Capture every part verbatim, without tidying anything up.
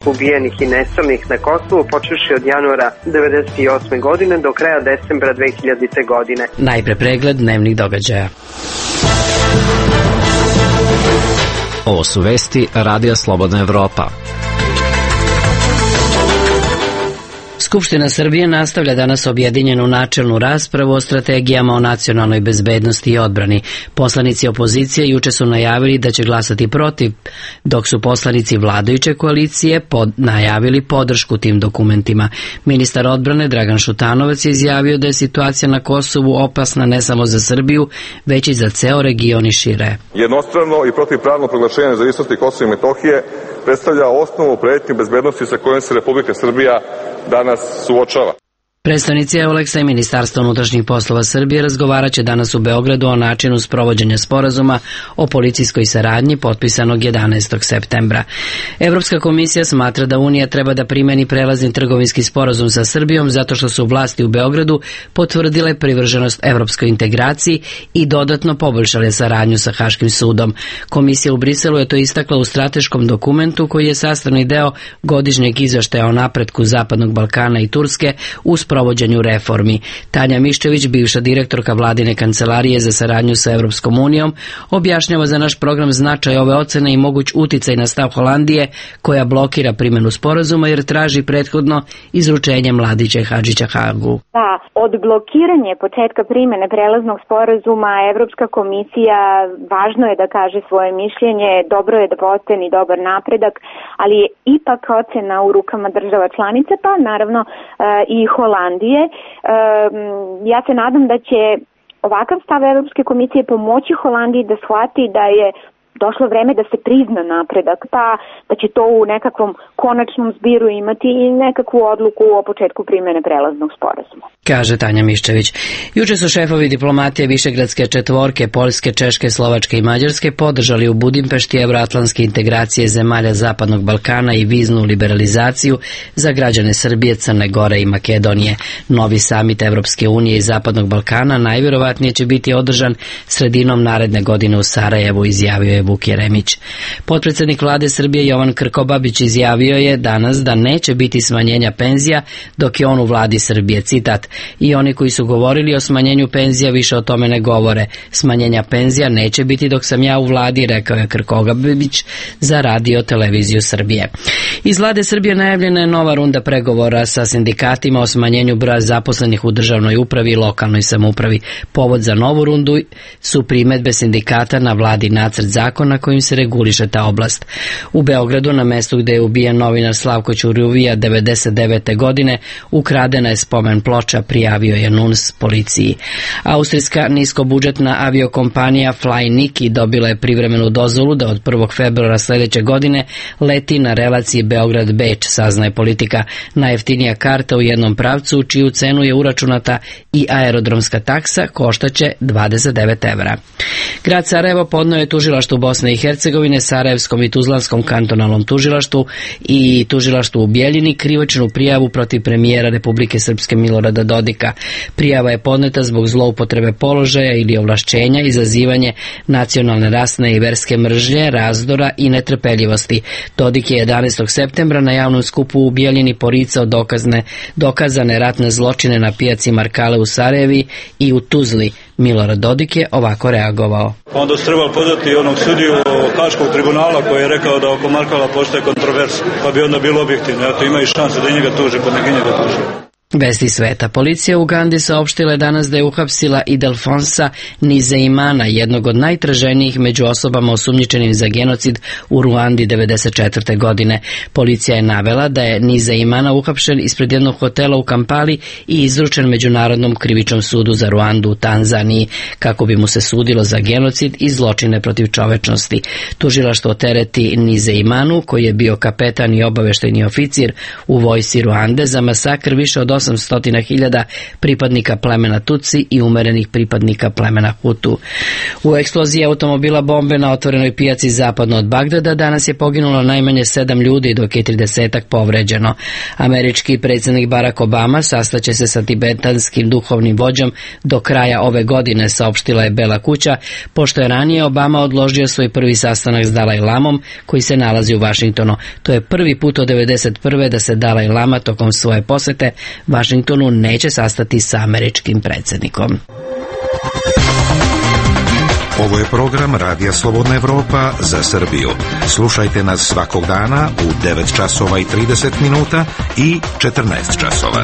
ubijenih i nestalih na Kosovu počevši od januara devedeset osme godine do kraja decembra dve hiljadite. godine. Najpre pregled dnevnih događaja. Ovo su vesti Radija Slobodna Evropa. Skupština Srbije nastavlja danas objedinjenu načelnu raspravu o strategijama o nacionalnoj bezbednosti i odbrani. Poslanici opozicije juče su najavili da će glasati protiv, dok su poslanici vladajuće koalicije pod, najavili podršku tim dokumentima. Ministar odbrane Dragan Šutanovac je izjavio da je situacija na Kosovu opasna ne samo za Srbiju, već i za ceo region i šire. Jednostrano i protivpravno proglašenje nezavisnosti Kosova i Metohije predstavlja osnovu pretnje bezbednosti sa kojom se Republika Srbija danas suočava. Predstavnici Euleksa i Ministarstva unutrašnjih poslova Srbije razgovarat će danas u Beogradu o načinu sprovođenja sporazuma o policijskoj saradnji potpisanog jedanaestog septembra. Evropska komisija smatra da Unija treba da primeni prelazni trgovinski sporazum sa Srbijom zato što su vlasti u Beogradu potvrdile privrženost evropskoj integraciji i dodatno poboljšale saradnju sa Haškim sudom. Komisija u Briselu je to istakla u strateškom dokumentu koji je sastavni deo godišnjeg izveštaja o napretku Zapadnog Balkana i Turske u provođenju reformi. Tanja Miščević, bivša direktorka vladine kancelarije za saradnju sa Evropskom unijom, objašnjava za naš program značaj ove ocene i moguć uticaj na stav Holandije koja blokira primjenu sporazuma jer traži prethodno izručenje Mladića i Hadžića Hagu. Da, od blokiranja početka primjene prelaznog sporazuma Evropska komisija važno je da kaže svoje mišljenje, dobro je da postane dobar napredak, ali je ipak ocena u rukama država članica, pa naravno i Holandije. Ja se nadam da će ovakav stav Evropske komisije pomoći Holandiji da shvati da je došlo vreme da se prizna napredak, pa da će to u nekakvom konačnom zbiru imati i nekakvu odluku o početku primjene prelaznog sporazuma. Kaže Tanja Miščević. Juče su šefovi diplomatije Višegradske četvorke, Poljske, Češke, Slovačke i Mađarske podržali u Budimpešti evroatlantske integracije zemalja Zapadnog Balkana i viznu liberalizaciju za građane Srbije, Crne Gore i Makedonije. Novi samit Evropske unije i Zapadnog Balkana najvjerovatnije će biti održan sredinom naredne godine u Sarajevu, izjavio je Vuk Jeremić. Potpredsednik vlade Srbije Jovan Krkobabić izjavio je danas da neće biti smanjenja penzija dok je on u vladi Srbije. Citat: i oni koji su govorili o smanjenju penzija više o tome ne govore. Smanjenja penzija neće biti dok sam ja u vladi, rekao je Krkobabić za Radio televiziju Srbije. Iz vlade Srbije najavljena je nova runda pregovora sa sindikatima o smanjenju broja zaposlenih u državnoj upravi i lokalnoj samoupravi. Povod za novu rundu su primedbe sindikata na vladi nacrt zakona kojim se reguliše ta oblast. U Beogradu, na mestu gde je ubijen novinar Slavko Ćuruvija devedeset devete. godine, ukradena je spomen ploča, prijavio je N U N S policiji. Austrijska niskobudžetna aviokompanija Fly Niki dobila je privremenu dozvolu da od prvog februara sledeće godine leti na relaciji Beograd-Beč, saznaje Politika. Najjeftinija karta u jednom pravcu, u čiju cenu je uračunata i aerodromska taksa, koštaće dvadeset devet evra. Grad Sarajevo podneo je tužilaštvu Bosne i Hercegovine, Sarajevskom i Tuzlanskom kantonalnom tužilaštvu i tužilaštvu u Bijeljini krivičnu prijavu protiv premijera Republike Srpske Milorada Dodika. Prijava je podneta zbog zloupotrebe položaja ili ovlašćenja, izazivanje nacionalne, rasne i verske mržnje, razdora i netrpeljivosti. Dodik je jedanaestog septembra na javnom skupu u Bijeljini poricao dokazne, dokazane ratne zločine na pijaci Markale u Sarajevi i u Tuzli. Milorad Dodik je ovako reagovao. Onda su trebali podati onog sudiju Haškog tribunala koji je rekao da oko Markala postoje kontroversa, pa bi onda bilo objektivno. Eto, ima i šanse da njega tuže, pa neki njega tuže. Vesti sveta. Policija u Ugandi saopštila je danas da je uhapsila Idelfonsa Nizeimana, jednog od najtraženijih među osobama osumnjičenim za genocid u Ruandi devedeset četvrte. godine. Policija je navela da je Nizeimana uhapšen ispred jednog hotela u Kampali i izručen Međunarodnom krivičnom sudu za Ruandu u Tanzaniji, kako bi mu se sudilo za genocid i zločine protiv čovečnosti. Tužilaštvo tereti Nizeimanu, koji je bio kapetan i obaveštajni oficir u vojsci Ruande, za masakr više od osamsto hiljada pripadnika plemena Tutsi i umerenih pripadnika plemena Hutu. U eksploziji automobila bombe na otvorenoj pijaci zapadno od Bagdada danas je poginulo najmanje sedam ljudi, dok je tridesetak povređeno. Američki predsjednik Barack Obama sastaće se sa tibetanskim duhovnim vođom do kraja ove godine, saopštila je Bela kuća, pošto je ranije Obama odložio svoj prvi sastanak s Dalaj Lamom, koji se nalazi u Vašingtonu. To je prvi put od devedeset prve da se Dalaj Lama tokom svoje posete Vašingtonu neće sastati sa američkim predsjednikom. Ovo je program Radija Slobodna Evropa za Srbiju. Slušajte nas svakog dana u devet časova i trideset minuta i četrnaest časova.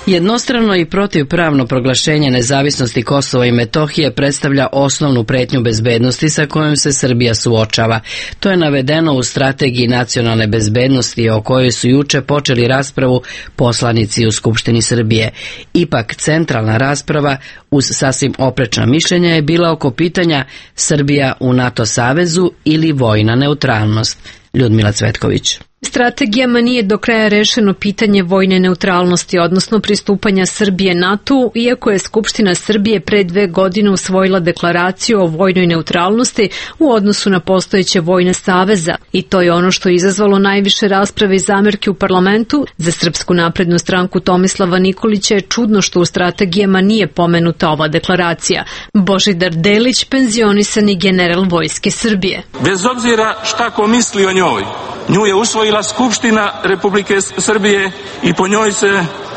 Jednostrano i protivpravno proglašenje nezavisnosti Kosova i Metohije predstavlja osnovnu pretnju bezbednosti sa kojom se Srbija suočava. To je navedeno u Strategiji nacionalne bezbednosti o kojoj su juče počeli raspravu poslanici u Skupštini Srbije. Ipak centralna rasprava uz sasvim oprečna mišljenja je bila oko pitanja Srbija u NATO savezu ili vojna neutralnost. Ljudmila Cvetković. Strategijama nije do kraja rešeno pitanje vojne neutralnosti, odnosno pristupanja Srbije NATO, iako je Skupština Srbije pre dve godine usvojila deklaraciju o vojnoj neutralnosti u odnosu na postojeće vojne saveza. I to je ono što je izazvalo najviše rasprave i zamerke u parlamentu. Za Srpsku naprednu stranku Tomislava Nikolića je čudno što u strategijama nije pomenuta ova deklaracija. Božidar Delić, penzionisani general Vojske Srbije. Bez obzira šta ko misli o njoj, nju je usvojila Skupština Republike Srbije i po njoj se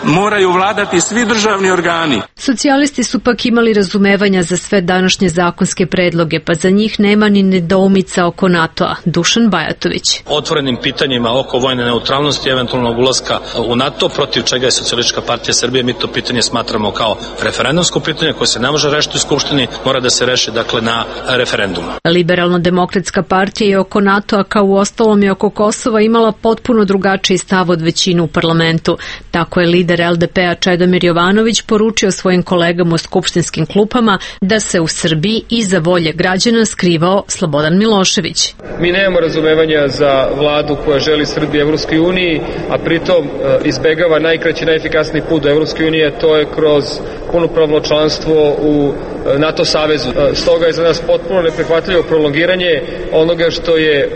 moraju vladati svi državni organi. Socijalisti su pak imali razumevanja za sve današnje zakonske predloge, pa za njih nema ni nedoumica oko NATO-a. Dušan Bajatović. Otvorenim pitanjima oko vojne neutralnosti i eventualnog ulaska u NATO, protiv čega je Socijalistička partija Srbije, mi to pitanje smatramo kao referendumsko pitanje koje se ne može rešiti u Skupštini, mora da se reši dakle na referendumu. Liberalno-demokratska partija je oko NATO-a kao u ostalom i oko Kosova imala potpuno drugačiji stav od većine u parlamentu. Tako je lider el de pe-a Čedomir Jovanović poručio svojim kolegama u skupštinskim klupama da se u Srbiji iza volje građana skrivao Slobodan Milošević. Mi nemamo razumevanja za vladu koja želi Srbiju Evropskoj uniji, a pritom izbegava najkraći, najefikasniji put do Evropske unije, to je kroz punopravno članstvo u NATO savezu. Stoga je za nas potpuno neprihvatljivo prolongiranje onoga što je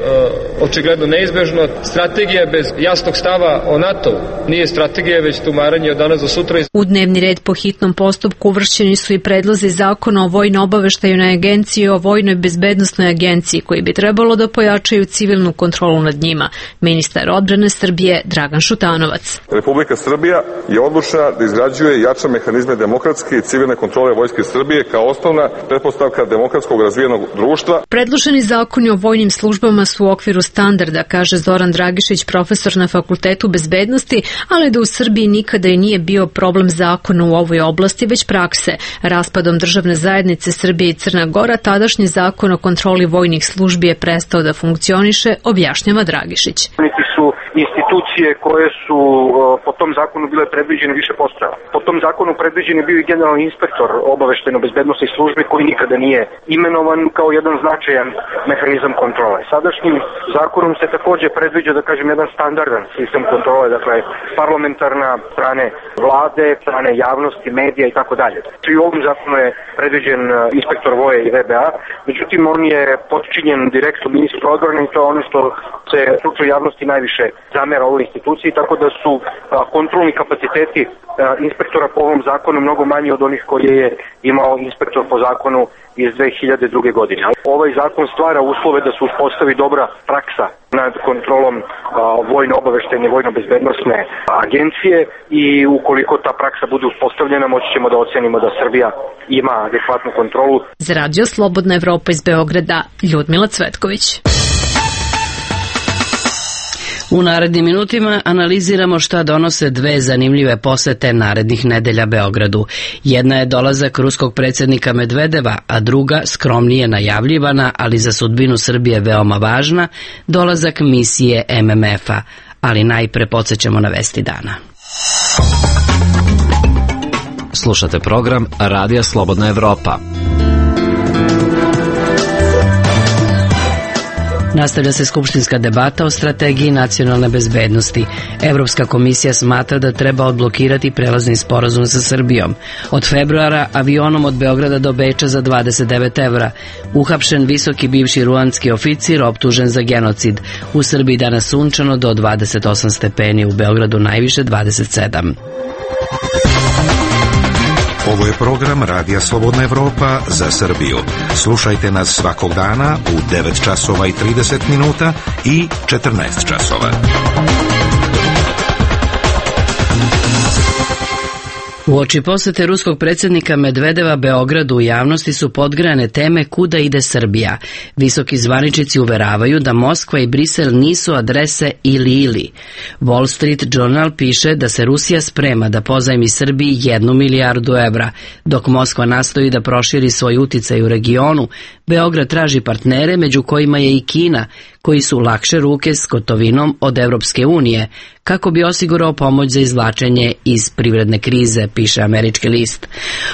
očigledno neizbežno. Strategija bez jasnog stava o NATO nije strategija, već tumaranje od danas do sutra. U dnevni red po hitnom postupku uvršćeni su i predlozi zakona o vojno-obaveštajnoj agenciji i o vojnoj bezbednosnoj agenciji, koji bi trebalo da pojačaju civilnu kontrolu nad njima. Ministar odbrane Srbije Dragan Šutanovac. Republika Srbija je odlučna da izgrađuje i jača mehanizme demokratske i civilne kontrole Vojske Srbije kao osnovna pretpostavka demokratskog razvijenog društva. Predloženi zakoni o vojnim službama su u okviru standarda, kaže Zoran Dragišić, profesor na Fakultetu bezbednosti, ali da u Srbiji nikada i nije bio problem zakona u ovoj oblasti, već prakse. Raspadom državne zajednice Srbije i Crna Gora, tadašnji zakon o kontroli vojnih službi je prestao da funkcioniše, objašnjava Dragišić. Niti su institucije koje su po tom zakonu bile predviđene više postojale. Po tom zakonu predviđen je bio i generalni inspektor obaveštajno-bezbednosnih službi koji nikada nije imenovan kao jedan značajan mehanizam kontrole. Sadašnjim zakonom se takođe predviđa, da kažem, jedan standardan sistem kontrole, dakle parlamentarna, strane vlade, strane javnosti, medija i tako dalje. I u ovom zakonu je predviđen inspektor voje i ve be a, međutim on je potčinjen direktno ministru odbrane i to je ono što se stručnoj javnosti najviše zamera ovoj instituciji, tako da su kontrolni kapaciteti inspektora po ovom zakonu mnogo manji od onih koje je imao inspektor po zakonu iz dve hiljade druge. godine. Ovaj zakon stvara uslove da se uspostavi dobra praksa nad kontrolom vojno-obaveštajne i vojno-bezbednosne agencije i ukoliko ta praksa bude uspostavljena, moći ćemo da ocenimo da Srbija ima adekvatnu kontrolu. Za Radio Slobodna Evropa iz Beograda, Ljudmila Cvetković. U narednim minutima analiziramo šta donose dve zanimljive posete narednih nedelja Beogradu. Jedna je dolazak ruskog predsjednika Medvedeva, a druga, skromnije najavljivana, ali za sudbinu Srbije veoma važna, dolazak misije em em ef-a. Ali najpre podsećamo na vesti dana. Slušate program Radija Slobodna Evropa. Nastavlja se skupštinska debata o strategiji nacionalne bezbednosti. Evropska komisija smatra da treba odblokirati prelazni sporazum sa Srbijom. Od februara avionom od Beograda do Beča za dvadeset devet evra. Uhapšen visoki bivši ruandski oficir optužen za genocid. U Srbiji danas sunčano do dvadeset osam stepeni, u Beogradu najviše dvadeset sedam. Ovo je program Radija Slobodna Evropa za Srbiju. Slušajte nas svakog dana u devet časova i trideset minuta i četrnaest časova. Uoči posete ruskog predsjednika Medvedeva Beogradu u javnosti su podgrane teme kuda ide Srbija. Visoki zvaničnici uveravaju da Moskva i Brisel nisu adrese ili-ili. Wall Street Journal piše da se Rusija sprema da pozajmi Srbiji jednu milijardu evra. Dok Moskva nastoji da proširi svoj uticaj u regionu, Beograd traži partnere, među kojima je i Kina, koji su lakše ruke s gotovinom od Evropske unije, kako bi osigurao pomoć za izvlačenje iz privredne krize, piše američki list.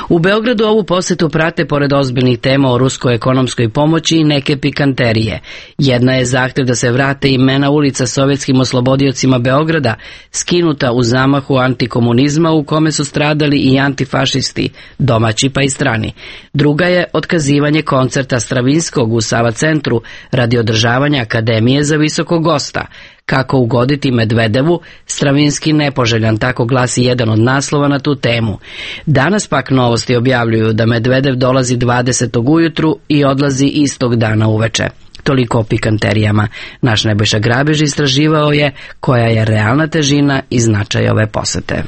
U Beogradu ovu posetu prate, pored ozbiljnih tema o ruskoj ekonomskoj pomoći, i neke pikanterije. Jedna je zahtev da se vrate imena ulica sovjetskim oslobodiocima Beograda, skinuta u zamahu antikomunizma u kome su stradali i antifašisti, domaći pa i strani. Druga je otkazivanje koncerta Stravinskog u Sava centru radi održavanja Akademije za visokog gosta. Kako ugoditi Medvedevu, Stravinski nepoželjan, tako glasi jedan od naslova na tu temu. Danas pak Novosti objavljuju da Medvedev dolazi dvadesetog ujutru i odlazi istog dana uveče. Toliko o pikanterijama. Naš Nebojša Grabež istraživao je koja je realna težina i značaj ove posete.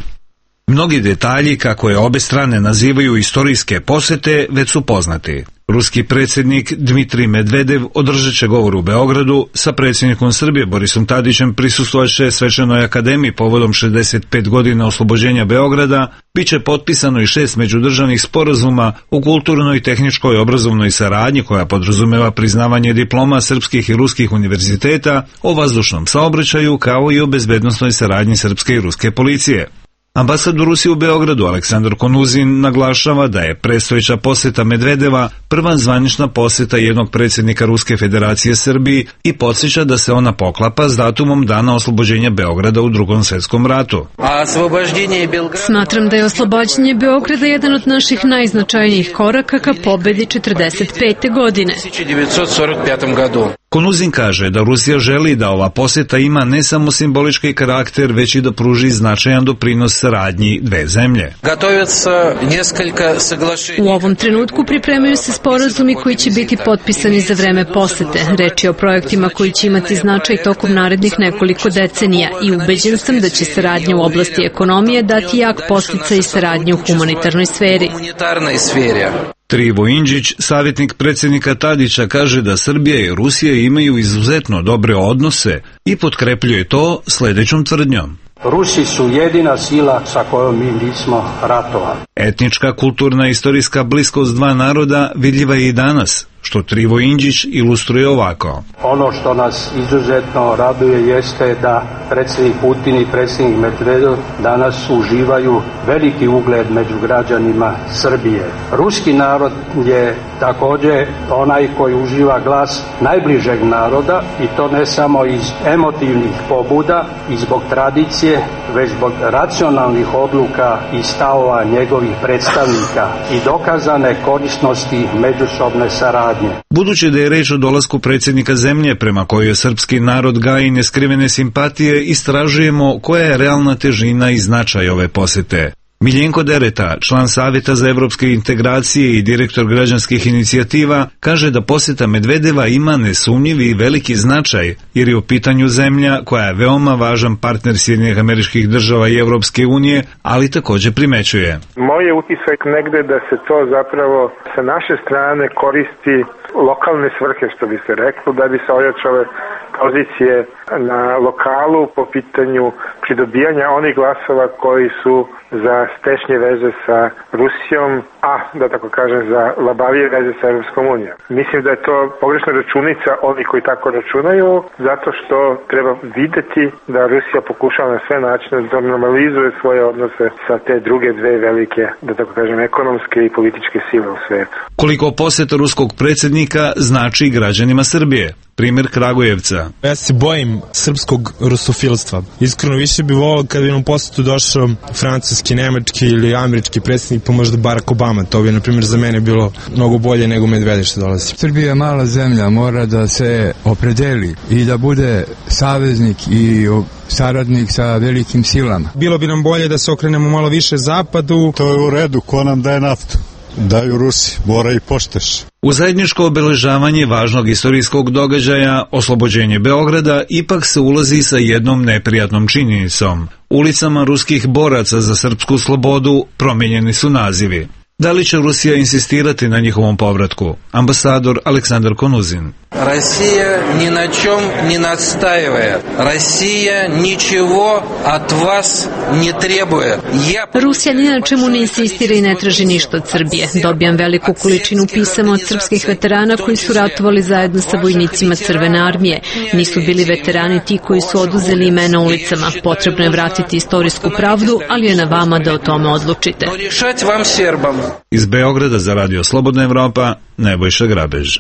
Mnogi detalji, kako je obe strane nazivaju istorijske posete, već su poznati. Ruski predsjednik Dmitrij Medvedev održat će govor u Beogradu, sa predsjednikom Srbije Borisom Tadićem prisustvovaće Svečanoj akademiji povodom šezdeset pet godina oslobođenja Beograda, bit će potpisano i šest međudržavnih sporazuma u kulturnoj, tehničkoj i obrazovnoj saradnji koja podrazumeva priznavanje diploma srpskih i ruskih univerziteta, o vazdušnom saobraćaju kao i o bezbednosnoj saradnji srpske i ruske policije. Ambasador Rusije u Beogradu Aleksandar Konuzin naglašava da je predstojeća poseta Medvedeva prva zvanična poseta jednog predsjednika Ruske federacije Srbiji i podsjeća da se ona poklapa s datumom dana oslobođenja Beograda u Drugom svjetskom ratu. Smatram da je oslobađanje Beograda jedan od naših najznačajnijih koraka ka pobedi četrdeset pete. godine. Konuzin kaže da Rusija želi da ova poseta ima ne samo simbolički karakter, već i da pruži značajan doprinos saradnji dve zemlje. U ovom trenutku pripremaju se sporazumi koji će biti potpisani za vreme posete. Reč je o projektima koji će imati značaj tokom narednih nekoliko decenija i ubeđen sam da će saradnja u oblasti ekonomije dati jak podsticaj i saradnje u humanitarnoj sferi. Trivo Indžić, savjetnik predsjednika Tadića, kaže da Srbija i Rusija imaju izuzetno dobre odnose i potkrepljuje to sljedećom tvrdnjom. Rusi su jedina sila sa kojom mi nismo ratovali. Etnička, kulturna i istorijska bliskost dva naroda vidljiva je i danas, što Trivo Indžić ilustruje ovako. Ono što nas izuzetno raduje jeste da predsjednik Putin i predsjednik Medvedev danas uživaju veliki ugled među građanima Srbije. Ruski narod je također onaj koji uživa glas najbližeg naroda i to ne samo iz emotivnih pobuda i zbog tradicije, već zbog racionalnih odluka i stavova njegovih predstavnika i dokazane korisnosti međusobne saradnje. Budući da je reč o dolasku predsjednika zemlje prema kojoj srpski narod gaji neskrivene simpatije, istražujemo koja je realna težina i značaj ove posete. Miljenko Dereta, član Savjeta za evropske integracije i direktor građanskih inicijativa, kaže da poseta Medvedeva ima nesumnjivi i veliki značaj, jer je u pitanju zemlja koja je veoma važan partner Sjedinjenih Američkih Država i Evropske unije, ali također primećuje. Moj je utisak negde da se to zapravo sa naše strane koristi lokalne svrhe, što bi se reklo, da bi se ojačale pozicije na lokalu po pitanju pridobijanja onih glasova koji su za stešnje veze sa Rusijom, a da tako kažem za labavije veze sa Europskom unijom. Mislim da je to pogrešna računica oni koji tako računaju, zato što treba videti da Rusija pokušava na sve načine da normalizuje svoje odnose sa te druge dve velike, da tako kažem, ekonomske i političke sile u svetu. Koliko poseta ruskog predsjednika znači građanima Srbije? Primjer Kragujevca. Ja se bojim srpskog rusofilstva. Iskreno više bi volio kad bi nam posjetu došao francuski, nemački ili američki predsjednik, pa možda Barack Obama. To bi, na primjer, za mene bilo mnogo bolje nego Medvedev što dolazi. Srbija je mala zemlja, mora da se opredeli i da bude saveznik i saradnik sa velikim silama. Bilo bi nam bolje da se okrenemo malo više zapadu. To je u redu, ko nam daje naftu? Daju Rusi, mora i pošteš. U zajedničko obeležavanje važnog istorijskog događaja, oslobođenje Beograda, ipak se ulazi sa jednom neprijatnom činjenicom. Ulicama ruskih boraca za srpsku slobodu promijenjeni su nazivi. Da li će Rusija insistirati na njihovom povratku? Ambasador Aleksandar Konuzin. Россия ни на чем не настаивает. Россия ничего от вас не требует. Я... Rusija ni na čemu ne insistira i ne traži ništa od Srbije. Dobijam veliku količinu pisama od srpskih veterana koji su ratovali zajedno sa vojnicima Crvene armije. Nisu bili veterani ti koji su oduzeli imena ulicama. Potrebno je vratiti istorijsku pravdu, ali je na vama da o tome odlučite. Iz Beograda za Radio Slobodna Evropa, Nebojša Grabež.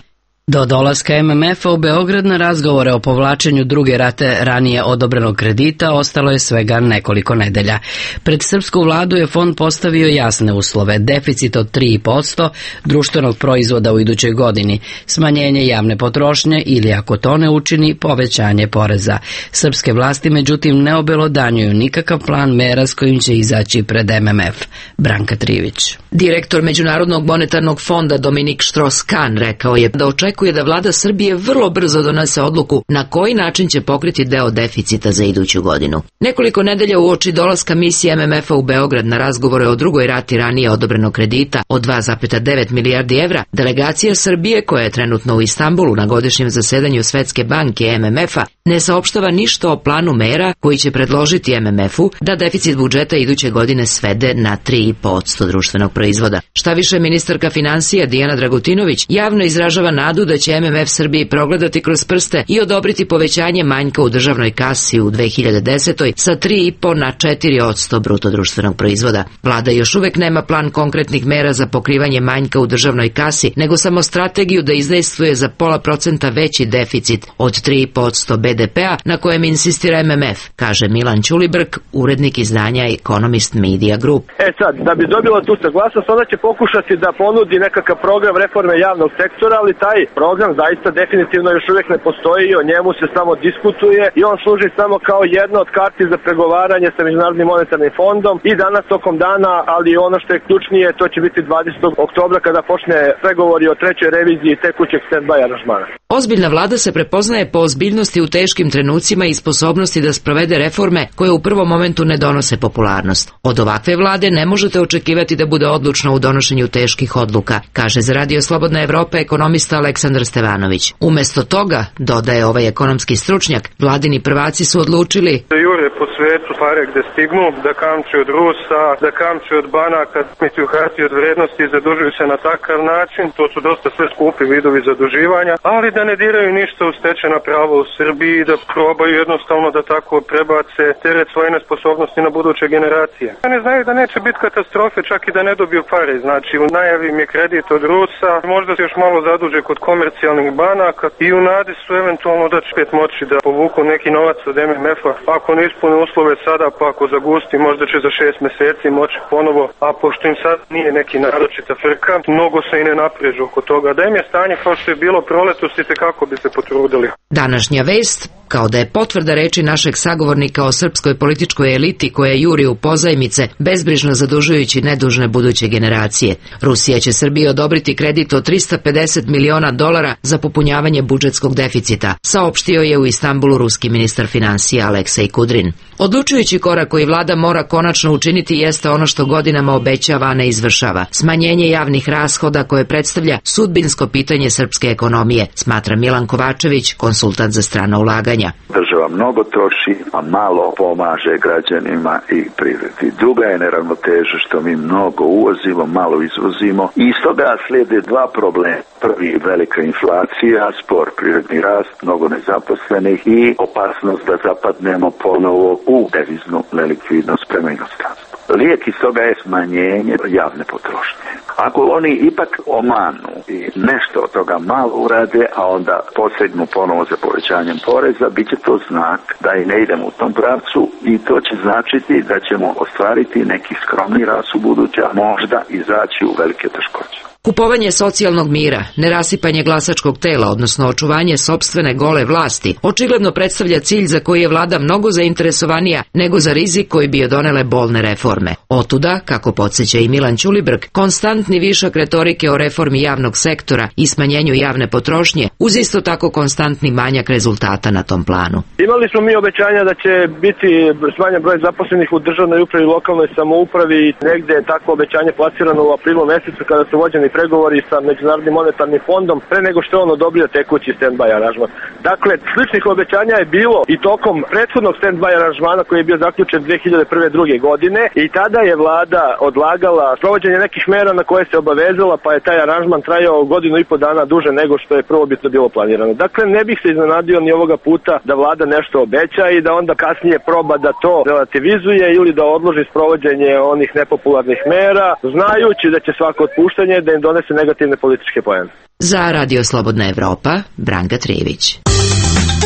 Do dolaska M M F-a u Beograd na razgovore o povlačenju druge rate ranije odobrenog kredita ostalo je svega nekoliko nedelja. Pred srpsku vladu je fond postavio jasne uslove, deficit od tri posto društvenog proizvoda u idućoj godini, smanjenje javne potrošnje ili, ako to ne učini, povećanje poreza. Srpske vlasti, međutim, ne obelodanjuju nikakav plan mera s kojim će izaći pred M M F. Branka Trivić. Direktor Međunarodnog monetarnog fonda Dominik Štros-Kan rekao je da očekuje da vlada Srbije vrlo brzo donese odluku na koji način će pokriti deo deficita za iduću godinu. Nekoliko nedelja uoči dolaska misije M M F-a u Beograd na razgovore o drugoj rati ranije odobrenog kredita od dva zarez devet milijardi evra, delegacija Srbije, koja je trenutno u Istanbulu na godišnjem zasedanju Svetske banke M M F-a, ne saopštava ništa o planu mera koji će predložiti M M F-u da deficit budžeta iduće godine svede na tri posto društvenog proizvoda. Šta više, ministarka finansija Dijana Dragutinović javno izražava nadu da će M M F Srbiji progledati kroz prste i odobriti povećanje manjka u državnoj kasi u dve hiljade desetoj sa tri i po na četiri posto bruto društvenog proizvoda. Vlada još uvek nema plan konkretnih mera za pokrivanje manjka u državnoj kasi, nego samo strategiju da izdejstvuje za pola procenta veći deficit od tri posto B D P-a na kojem insistira M M F, kaže Milan Ćulibrk, urednik izdanja Economist Media Group. E sad, da bi dobila tu saglasnost, ona će pokušati da ponudi nekakav program reforme javnog sektora, ali taj program zaista definitivno još uvijek ne postoji, o njemu se samo diskutuje i on služi samo kao jedna od karti za pregovaranje sa Međunarodnim monetarnim fondom i danas tokom dana, ali ono što je ključnije, to će biti dvadesetog oktobra kada počne pregovori o trećoj reviziji tekućeg stand-by aranžmana. Ozbiljna vlada se prepoznaje po ozbiljnosti u teškim trenucima i sposobnosti da sprovede reforme koje u prvom momentu ne donose popularnost. Od ovakve vlade ne možete očekivati da bude odlučna u donošenju teških odluka, kaže za Radio Slobodna Evropa ekonomista Aleksandar Stevanović. Umesto toga, dodaje ovaj ekonomski stručnjak, vladini prvaci su odlučili da jure po svetu pare gde stignu, da kamče od Rusa, da kamče od banaka, smiću hartije od vrednosti i zadužuju se na takav način. To su dosta sve skupi vidovi zaduživanja, ali da ne diraju ništa u stečena prava u Srbiji, da probaju jednostavno da tako prebace teret svoje nesposobnosti na buduće generacije. Ne znaju da neće biti katastrofe čak i da ne dobiju pare. Znači, u najavi im je kredit od Rusa, možda se još malo zaduže kod komercijalnih banaka i u nadi su eventualno da će pet moći da povuku neki novac od M M F-a. Ako ne ispune uslove sada, pa ako zagusti, možda će za šest meseci moći ponovo, a pošto im sad nije neki naročita frka, mnogo se i ne naprežu oko toga. Da im je stanje kao što je bilo proletos i kako bi se potrudili. Današnja vest, kao da je potvrda reči našeg sagovornika o srpskoj političkoj eliti koja juri u pozajmice, bezbrižno zadužujući nedužne buduće generacije. Rusija će Srbiji odobriti kredit od trista pedeset miliona dolara za popunjavanje budžetskog deficita, saopštio je u Istanbulu ruski ministar finansija Aleksej Kudrin. Odlučujući korak koji vlada mora konačno učiniti jeste ono što godinama obećava, a ne izvršava. Smanjenje javnih rashoda koje predstavlja sudbinsko pitanje srpske ekonomije, smatra Milan Kovačević, konsultant za strana ulaganja. pitanja. Država mnogo troši, a malo pomaže građanima i privredi. Druga je neravnoteža što mi mnogo uvozimo, malo izvozimo i iz toga slijede dva problema. Prvi, velika inflacija, spor privredni rast, mnogo nezaposlenih i opasnost da zapadnemo ponovo u deviznu nelikvidnost prema inostranstvu. Lijek iz toga je smanjenje javne potrošnje. Ako oni ipak omanu i nešto od toga malo urade, a onda posegnu ponovo za povećanjem poreza, bit će to znak da i ne idemo u tom pravcu i to će značiti da ćemo ostvariti neki skromni rast u buduće, a možda izaći u velike teškoće. Kupovanje socijalnog mira, nerasipanje glasačkog tela, odnosno očuvanje sopstvene gole vlasti, očigledno predstavlja cilj za koji je vlada mnogo zainteresovanija nego za rizik koji bi joj donele bolne reforme. Otuda, kako podsjeća i Milan Ćulibrk, konstantni višak retorike o reformi javnog sektora i smanjenju javne potrošnje, uz isto tako konstantni manjak rezultata na tom planu. Imali smo mi obećanja da će biti smanjen broj zaposlenih u državnoj upravi i lokalnoj samoupravi i negde je tako obećanje plasirano u aprilu mesecu kada su vođeni pregovori sa Međunarodnim monetarnim fondom pre nego što je on odobrio tekući stand-by aranžman. Dakle, sličnih obećanja je bilo i tokom prethodnog stand-by aranžmana koji je bio zaključen dve hiljade prve druge godine i tada je vlada odlagala provođenje nekih mera na koje se obavezala, pa je taj aranžman trajao godinu i po dana duže nego što je prvobitno bilo planirano. Dakle, ne bih se iznenadio ni ovoga puta da vlada nešto obeća i da onda kasnije proba da to relativizuje ili da odloži sprovođenje onih nepopularnih mera, znajući da će svako otpuštanje da im donese negativne političke poene. Za Radio Slobodna Evropa, Branka Trijević.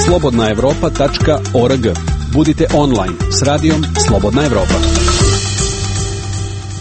slobodna evropa tačka org. Budite online s radijom Slobodna Evropa.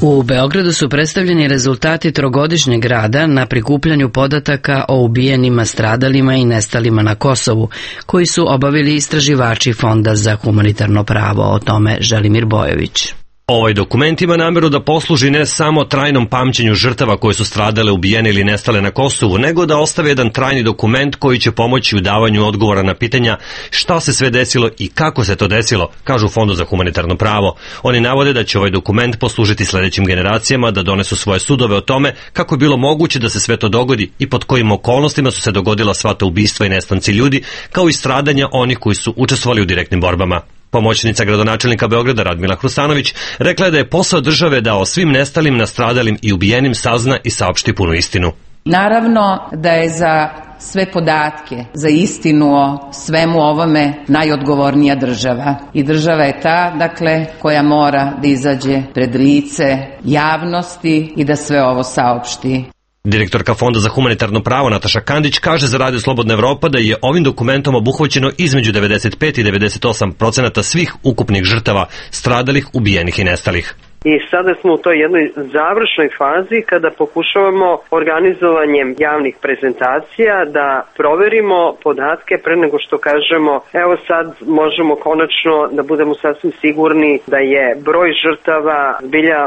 U Beogradu su predstavljeni rezultati trogodišnjeg rada na prikupljanju podataka o ubijenima, stradalima i nestalima na Kosovu, koji su obavili istraživači Fonda za humanitarno pravo. O tome Želimir Bojović. Ovaj dokument ima nameru da posluži ne samo trajnom pamćenju žrtava koje su stradale, ubijene ili nestale na Kosovu, nego da ostave jedan trajni dokument koji će pomoći u davanju odgovora na pitanja šta se sve desilo i kako se to desilo, kažu u Fondu za humanitarno pravo. Oni navode da će ovaj dokument poslužiti sledećim generacijama da donesu svoje sudove o tome kako je bilo moguće da se sve to dogodi i pod kojim okolnostima su se dogodila sva ta ubistva i nestanci ljudi, kao i stradanja onih koji su učestvovali u direktnim borbama. Pomoćnica gradonačelnika Beograda Radmila Hrustanović rekla je da je posao države da o svim nestalim, nastradalim i ubijenim sazna i saopšti punu istinu. Naravno da je za sve podatke, za istinu o svemu ovome najodgovornija država. I država je ta, dakle, koja mora da izađe pred lice javnosti i da sve ovo saopšti. Direktorka Fonda za humanitarno pravo Nataša Kandić kaže za Radio Slobodna Evropa da je ovim dokumentom obuhvaćeno između devedeset pet i devedeset osam procenata svih ukupnih žrtava, stradalih, ubijenih i nestalih. I sada smo u toj jednoj završnoj fazi kada pokušavamo organizovanjem javnih prezentacija da proverimo podatke pre nego što kažemo evo sad možemo konačno da budemo sasvim sigurni da je broj žrtava zbilja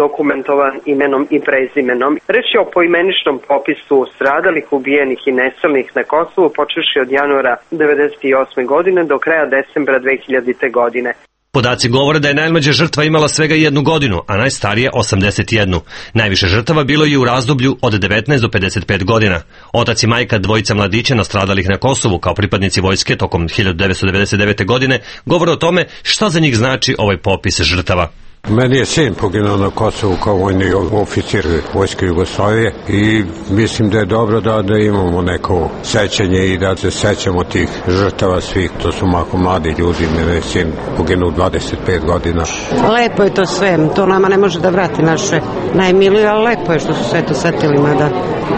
dokumentovan imenom i prezimenom. Reč je o poimeničnom popisu stradalih, ubijenih i nestalih na Kosovu počevši od januara devedeset osme godine do kraja decembra dve hiljadite godine. Podaci govore da je najmlađa žrtva imala svega jednu godinu, a najstarija osamdeset jednu. Najviše žrtava bilo je u razdoblju od devetnaest do pedeset pet godina. Otac i majka dvojica mladića nastradalih na Kosovu kao pripadnici vojske tokom hiljadu devetsto devedeset devete. godine govore o tome šta za njih znači ovaj popis žrtava. Meni je sin poginuo na Kosovu kao vojni oficir Vojske Jugoslavije i mislim da je dobro da, da imamo neko sećanje i da se sećamo tih žrtava svih. To su mako mladi ljudi, meni je sin poginuo dvadeset pet godina. Lepo je to sve, to nama ne može da vrati naše najmilije, ali lepo je što su sve to setili, mada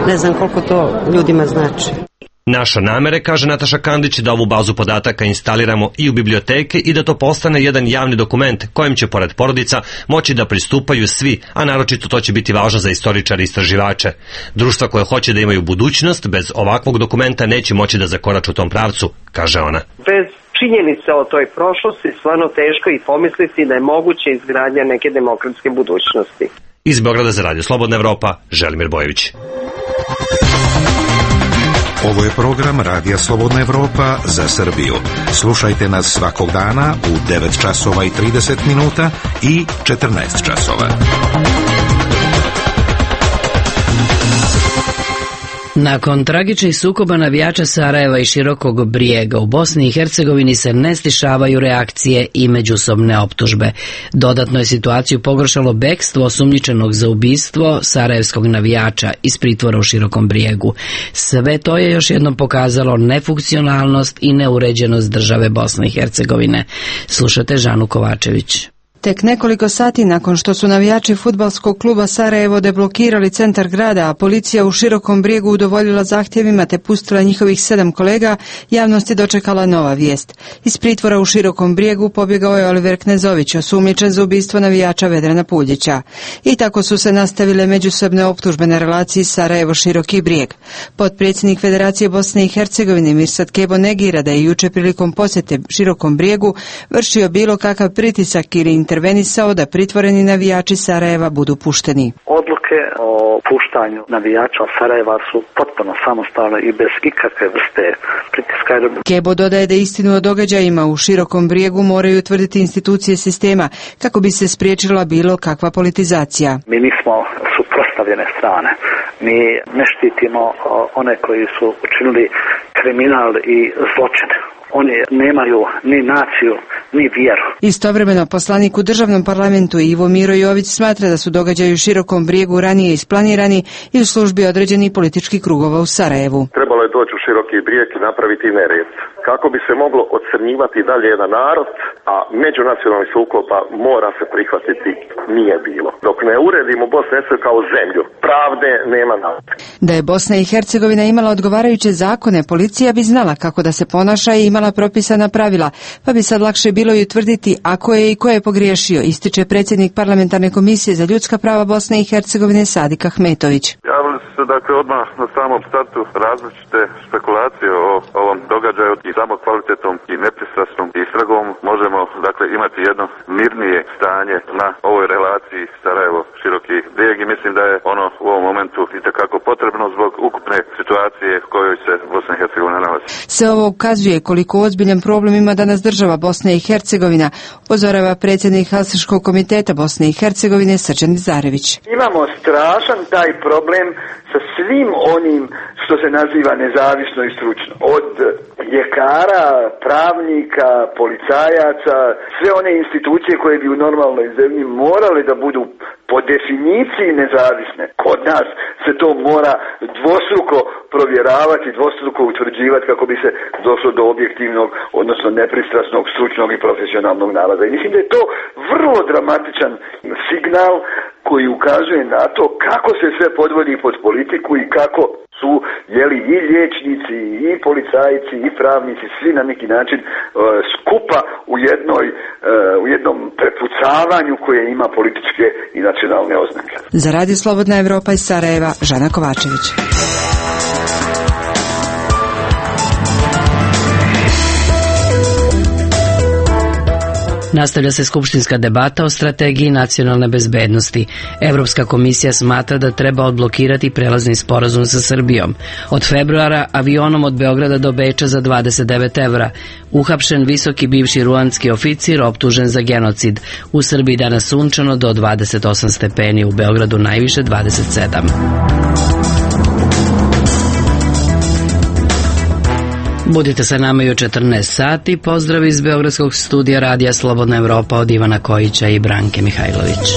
ne znam koliko to ljudima znači. Naša namere, kaže Nataša Kandić, da ovu bazu podataka instaliramo i u biblioteke i da to postane jedan javni dokument kojem će pored porodica moći da pristupaju svi, a naročito to će biti važno za istoričare i istraživače. Društva koje hoće da imaju budućnost bez ovakvog dokumenta neće moći da zakorače u tom pravcu, kaže ona. Bez činjenica o toj prošlosti stvarno teško i pomisliti da je moguće izgradnja neke demokratske budućnosti. Iz Beograda za Radio Slobodna Evropa, Želimir Bojović. Ovo je program Radija Slobodna Evropa za Srbiju. Slušajte nas svakog dana u devet časova i trideset minuta i četrnaest časova. Nakon tragičnih sukoba navijača Sarajeva i Širokog Brijega u Bosni i Hercegovini se ne stišavaju reakcije i međusobne optužbe. Dodatno je situaciju pogoršalo bekstvo osumnjičenog za ubistvo sarajevskog navijača iz pritvora u Širokom Brijegu. Sve to je još jednom pokazalo nefunkcionalnost i neuređenost države Bosne i Hercegovine. Slušate Žanu Kovačević. Tek nekoliko sati nakon što su navijači fudbalskog kluba Sarajevo deblokirali centar grada, a policija u Širokom Brijegu udovoljila zahtjevima te pustila njihovih sedam kolega, javnost je dočekala nova vijest. Iz pritvora u Širokom Brijegu pobjegao je Oliver Knezović, osumnjičen za ubistvo navijača Vedrana Puljića. I tako su se nastavile međusobne optužbe na relaciji Sarajevo-Široki Brijeg. Potpredsjednik Federacije Bosne i Hercegovine Mirsad Kebo negira da je juče prilikom posjete Širokom Brijegu vršio bilo kakav pritisak ili intervenisao da pritvoreni navijači Sarajeva budu pušteni. Odluke o puštanju navijača Sarajeva su potpuno samostalne i bez ikakve vrste pritiska. Kebo dodaje da istinu o događajima u Širokom Brijegu moraju utvrditi institucije sistema kako bi se spriječila bilo kakva politizacija. Mi nismo suprotstavljene strane. Mi ne štitimo one koji su učinili kriminal i zločin. Oni nemaju ni naciju, ni vjeru. Istovremeno, poslanik u državnom parlamentu Ivo Miro Jović smatra da su događaji u Širokom Brijegu ranije isplanirani i u službi određenih političkih krugova u Sarajevu. Trebalo je doći u Široki Brijeg i napraviti nered, kako bi se moglo ocrnjivati dalje jedan narod, a međunacionalni sukoba mora se prihvatiti nije bilo. Dok ne uredimo Bosnu i Hercegovinu kao zemlju, pravde nema naprijed. Da je Bosna i Hercegovina imala odgovarajuće zakone, policija bi znala kako da se ponaša i imala propisana pravila, pa bi sad lakše bilo i utvrditi ako je i ko je pogriješio, ističe predsjednik Parlamentarne komisije za ljudska prava Bosne i Hercegovine Sadik Ahmetović. Javili su se dakle odmah na samom startu različite spekulacije o ovom događaju i samo kvalitetom i nepristrasnom istragom možemo dakle imati jedno mirnije stanje na ovoj relaciji Sarajevo-Široki Brijeg i mislim da je ono u ovom momentu itekako potrebno zbog ukupne situacije u kojoj se Bosna i Hercegovina nalazi. Sve ovo ukazuje koliko ozbiljan problem ima danas država Bosne i Hercegovina, upozorava predsjednik Helsinškog komiteta Bosne i Hercegovine Srđan Zarević. Imamo strašan taj problem sa svim onim što se naziva nezavisno i stručno. Od ljekara, pravnika, policajaca, sve one institucije koje bi u normalnoj zemlji morale da budu po definiciji nezavisne. Kod nas se to mora dvostruko provjeravati, dvostruko utvrđivati kako bi se došlo do objektivnog, odnosno nepristrasnog, stručnog i profesionalnog nalaza. I mislim da je to vrlo dramatičan signal koji ukazuje na to kako se sve podvodi pod politiku i kako su jeli i liječnici i policajci i pravnici svi na neki način e, skupa u jednoj e, u jednom prepucavanju koje ima političke i nacionalne oznake. Za Radio Slobodna Evropa iz Sarajeva, Žana Kovačević. Nastavlja se skupštinska debata o strategiji nacionalne bezbednosti. Evropska komisija smatra da treba odblokirati prelazni sporazum sa Srbijom. Od februara avionom od Beograda do Beča za dvadeset devet evra. Uhapšen visoki bivši ruandski oficir optužen za genocid. U Srbiji danas sunčano do dvadeset osam stepeni, u Beogradu najviše dvadeset sedam. Budite sa nama i u četrnaest sati. Pozdrav iz Beogradskog studija Radija Slobodna Evropa od Ivana Kojića i Branke Mihajlović.